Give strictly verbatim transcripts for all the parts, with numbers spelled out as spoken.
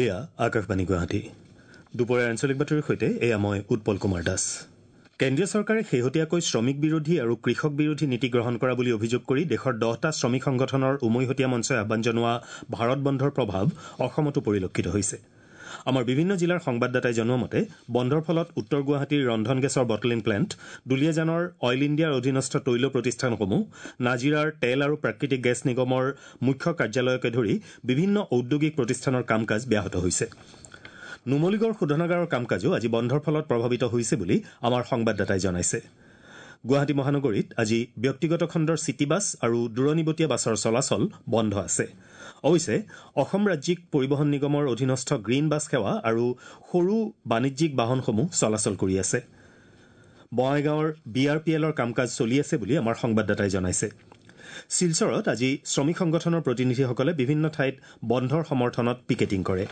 এয়া আকাশবাণী গুৱাহাটী। দুপৰীয়াৰ আঞ্চলিক বাতৰিৰ সৈতে এয়া মই উৎপল কুমাৰ দাস। কেন্দ্ৰীয় চৰকাৰে শেহতীয়াকৈ শ্ৰমিক বিৰোধী আৰু কৃষক বিৰোধী নীতি গ্ৰহণ কৰা বুলি অভিযোগ কৰি দেশৰ দহটা শ্ৰমিক সংগঠনৰ উমৈহতীয়া মঞ্চই আহ্বান জনোৱা ভাৰত বন্ধৰ প্ৰভাৱ অসমতো পৰিলক্ষিত হৈছে। আমাৰ বিভিন্ন জিলাৰ সংবাদদাতাই জনোৱা মতে বন্ধৰ ফলত উত্তৰ গুৱাহাটীৰ ৰন্ধন গেছৰ বটলিং প্লেণ্ট, দুলীয়াজানৰ অইল ইণ্ডিয়াৰ অধীনস্থ তৈল প্ৰতিষ্ঠানসমূহ, নাজিৰাৰ তেল আৰু প্ৰাকৃতিক গেছ নিগমৰ মুখ্য কাৰ্যালয়কে ধৰি বিভিন্ন ঔদ্যোগিক প্ৰতিষ্ঠানৰ কাম কাজ ব্যাহত হৈছে। নুমলীগড় শোধনাগাৰৰ কাম কাজো আজি বন্ধৰ ফলত প্ৰভাৱিত হৈছে বুলি আমাৰ সংবাদদাতাই জনাইছে। গুৱাহাটী মহানগৰীত আজি ব্যক্তিগত খণ্ডৰ চিটি বাছ আৰু দূৰণিবটীয়া বাছৰ চলাচল বন্ধ আছে। অৱশ্যে অসম ৰাজ্যিক পৰিবহণ নিগমৰ অধীনস্থ গ্ৰীণ বাছ সেৱা আৰু সৰু বাণিজ্যিক বাহনসমূহ চলাচল কৰি আছে। বঙাইগাঁৱৰ বি আৰ পি এলৰ কাম কাজ চলি আছে বুলি আমাৰ সংবাদদাতাই জনাইছে। শিলচৰত আজি শ্ৰমিক সংগঠনৰ প্ৰতিনিধিসকলে বিভিন্ন ঠাইত বন্ধৰ সমৰ্থনত পিকেটিং কৰে।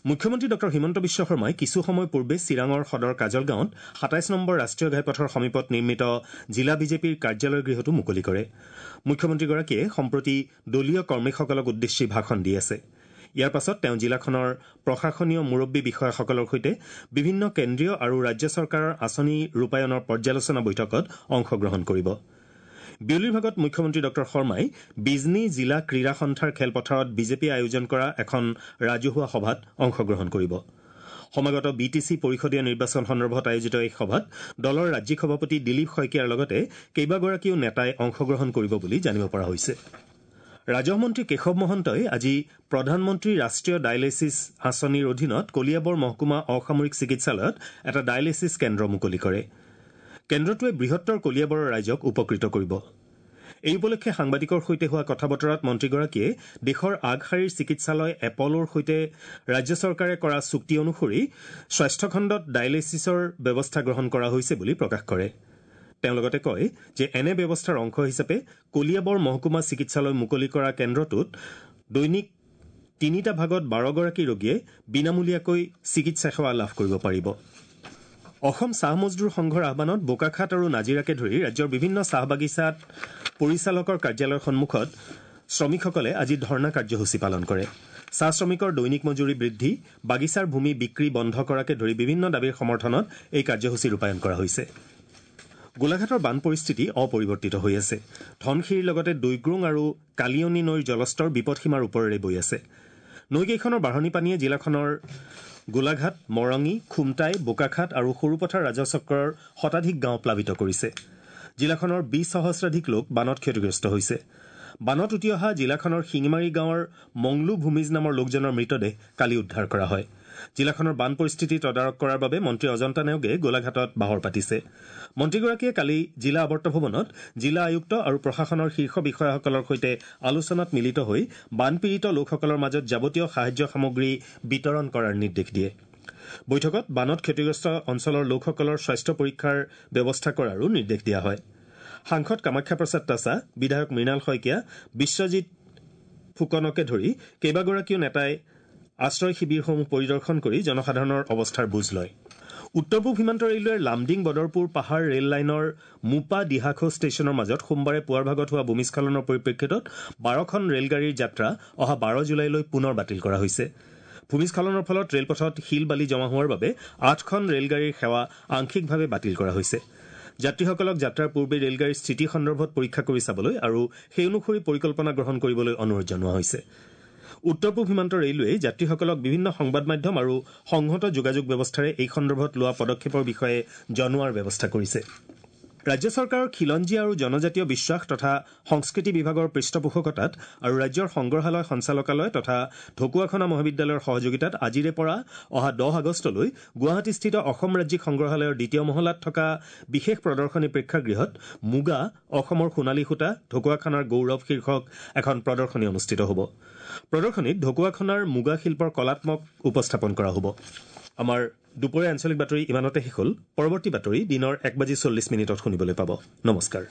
মুখ্যমন্ত্ৰী ডঃ হিমন্ত বিশ্ব শৰ্মাই কিছু সময় পূৰ্বে চিৰাঙৰ সদৰ কাজলগাঁৱত সাতাইছ নম্বৰ ৰাষ্ট্ৰীয় ঘাইপথৰ সমীপত নিৰ্মিত জিলা বিজেপিৰ কাৰ্যালয় গৃহটো মুকলি কৰে। মুখ্যমন্ত্ৰীগৰাকীয়ে সম্প্ৰতি দলীয় কৰ্মীসকলক উদ্দেশ্যি ভাষণ দি আছে। ইয়াৰ পাছত তেওঁ জিলাখনৰ প্ৰশাসনীয় মুৰব্বী বিষয়াসকলৰ সৈতে বিভিন্ন কেন্দ্ৰীয় আৰু ৰাজ্য চৰকাৰৰ আঁচনি ৰূপায়ণৰ পৰ্যালোচনা বৈঠকত অংশগ্ৰহণ কৰিব। বিয়লিৰ ভাগত মুখ্যমন্ত্ৰী ডঃ শৰ্মাই বিজনী জিলা ক্ৰীড়া সন্থাৰ খেলপথাৰত বিজেপিয়ে আয়োজন কৰা এখন ৰাজহুৱা সভাত অংশগ্ৰহণ কৰিব। সমাগত বি টি চি পৰিষদীয় নিৰ্বাচন সন্দৰ্ভত আয়োজিত এই সভাত দলৰ ৰাজ্যিক সভাপতি দিলীপ শইকীয়াৰ লগতে কেইবাগৰাকীও নেতাই অংশগ্ৰহণ কৰিব বুলি জানিব পৰা হৈছে। ৰাজহ মন্ত্ৰী কেশৱ মহন্তই আজি প্ৰধানমন্ত্ৰী ৰাষ্ট্ৰীয় ডায়েলিছিছ আঁচনিৰ অধীনত কলিয়াবৰ মহকুমা অসামৰিক চিকিৎসালয়ত এটা ডায়েলিছিছ কেন্দ্ৰ মুকলি কৰে। কেন্দ্ৰটোৱে বৃহত্তৰ কলিয়াবৰৰ ৰাইজক উপকৃত কৰিব। এই উপলক্ষে সাংবাদিকৰ সৈতে হোৱা কথা বতৰাত মন্ত্ৰীগৰাকীয়ে দেশৰ আগশাৰীৰ চিকিৎসালয় এপলৰ সৈতে ৰাজ্য চৰকাৰে কৰা চুক্তি অনুসৰি স্বাস্থ্যখণ্ডত ডায়েলিছিছৰ ব্যৱস্থা গ্ৰহণ কৰা হৈছে বুলি প্ৰকাশ কৰে। তেওঁ লগতে কয় যে এনে ব্যৱস্থাৰ অংশ হিচাপে কলিয়াবৰ মহকুমা চিকিৎসালয় মুকলি কৰা কেন্দ্ৰটোত দৈনিক তিনিটা ভাগত বাৰগৰাকী ৰোগীয়ে বিনামূলীয়াকৈ চিকিৎসা সেৱা লাভ কৰিব পাৰিব। অসম চাহ মজদুৰ সংঘৰ আহ্বানত বোকাখাট আৰু নাজিৰাকে ধৰি ৰাজ্যৰ বিভিন্ন চাহ বাগিচাত পৰিচালকৰ কাৰ্যালয়ৰ সন্মুখত শ্ৰমিকসকলে আজি ধৰ্ণা কাৰ্যসূচী পালন কৰে। চাহ শ্ৰমিকৰ দৈনিক মজুৰি বৃদ্ধি, বাগিচাৰ ভূমি বিক্ৰী বন্ধ কৰাকে ধৰি বিভিন্ন দাবীৰ সমৰ্থনত এই কাৰ্যসূচী ৰূপায়ণ কৰা হৈছে। গোলাঘাটৰ বান পৰিস্থিতি অপৰিৱৰ্তিত হৈ আছে। ধনশিৰিৰ লগতে দৈগ্ৰোং আৰু কালিয়নী নৈৰ জলস্তৰ বিপদসীমাৰ ওপৰেৰে বৈ আছে। নৈকেইখনৰ বাঢ়নী পানীয়ে জিলাখনৰ গোলাঘাট, মৰঙী, খুমটাই, বোকাখাট আৰু সৰুপথাৰ ৰাজহচক্ৰৰ শতাধিক গাঁও প্লাৱিত কৰিছে। জিলাখনৰ বিশ সহস্ৰাধিক লোক বানত ক্ষতিগ্ৰস্ত হৈছে। বানত উটি অহা জিলাখনৰ শিঙিমাৰী গাঁৱৰ মংলু ভূমিজ নামৰ লোকজনৰ মৃতদেহ কালি উদ্ধাৰ কৰা হয়। জিলাখনৰ বান পৰিস্থিতি তদাৰক কৰাৰ বাবে মন্ত্ৰী অজন্তা নেওগে গোলাঘাটত বাহৰ পাতিছে। মন্ত্ৰীগৰাকীয়ে কালি জিলা আৱৰ্ত ভৱনত জিলা আয়ুক্ত আৰু প্ৰশাসনৰ শীৰ্ষ বিষয়াসকলৰ সৈতে আলোচনাত মিলিত হৈ বানপীড়িত লোকসকলৰ মাজত যাৱতীয় সাহায্য সামগ্ৰী বিতৰণ কৰাৰ নিৰ্দেশ দিয়ে। বৈঠকত বানত ক্ষতিগ্ৰস্ত অঞ্চলৰ লোকসকলৰ স্বাস্থ্য পৰীক্ষাৰ ব্যৱস্থা কৰাৰো নিৰ্দেশ দিয়া হয়। সাংসদ কামাখ্যা প্ৰসাদ তাছা, বিধায়ক মৃণাল শইকীয়া, বিশ্বজিৎ ফুকনকে ধৰি কেইবাগৰাকীও নেতাই আশ্ৰয় শিবিৰসমূহ পৰিদৰ্শন কৰি জনসাধাৰণৰ অৱস্থাৰ বুজ লয়। উত্তৰ পূব সীমান্ত ৰেলৱেৰ লামডিং বদৰপুৰ পাহাৰ ৰেল লাইনৰ মুপা দিহাখো ষ্টেচনৰ মাজত সোমবাৰে পুৱাৰ ভাগত হোৱা ভূমিস্খলনৰ পৰিপ্ৰেক্ষিতত বাৰখন ৰেলগাড়ীৰ যাত্ৰা অহা বাৰ জুলাইলৈ পুনৰ বাতিল কৰা হৈছে। ভূমিস্খলনৰ ফলত ৰেলপথত শিল বালি জমা হোৱাৰ বাবে আঠখন ৰেলগাড়ীৰ সেৱা আংশিকভাৱে বাতিল কৰা হৈছে। যাত্ৰীসকলক যাত্ৰাৰ পূৰ্বে ৰেলগাড়ীৰ স্থিতি সন্দৰ্ভত পৰীক্ষা কৰি চাবলৈ আৰু সেই অনুসৰি পৰিকল্পনা গ্ৰহণ কৰিবলৈ অনুৰোধ জনোৱা হৈছে। উত্তৰ পূব সীমান্ত ৰেলৱেই যাত্ৰীসকলক বিভিন্ন সংবাদ মাধ্যম আৰু সংহত যোগাযোগ ব্যৱস্থাৰে এই সন্দৰ্ভত লোৱা পদক্ষেপৰ বিষয়ে জনোৱাৰ ব্যৱস্থা কৰিছে। ৰাজ্য চৰকাৰৰ খিলঞ্জীয়া আৰু জনজাতীয় বিশ্বাস তথা সংস্কৃতি বিভাগৰ পৃষ্ঠপোষকতাত আৰু ৰাজ্যৰ সংগ্ৰহালয় সঞ্চালকালয় তথা ঢকুৱাখনা মহাবিদ্যালয়ৰ সহযোগিতাত আজিৰে পৰা অহা দহ আগষ্টলৈ গুৱাহাটীস্থিত অসম ৰাজ্যিক সংগ্ৰহালয়ৰ দ্বিতীয় মহলাত থকা বিশেষ প্ৰদৰ্শনী প্ৰেক্ষাগৃহত মুগা অসমৰ সোণালী সূতা ঢকুৱাখনাৰ গৌৰৱ শীৰ্ষক এখন প্ৰদৰ্শনী অনুষ্ঠিত হ'ব। প্ৰদৰ্শনীত ঢকুৱাখনাৰ মুগা শিল্পৰ কলাত্মক উপস্থাপন কৰা হ'ব। আমাৰ দুপৰীয়া আঞ্চলিক বাতৰি ইমানতে শেষ হ'ল। পৰৱৰ্তী বাতৰি দিনৰ এক বাজি চল্লিছ মিনিটত শুনিবলৈ পাব। নমস্কাৰ।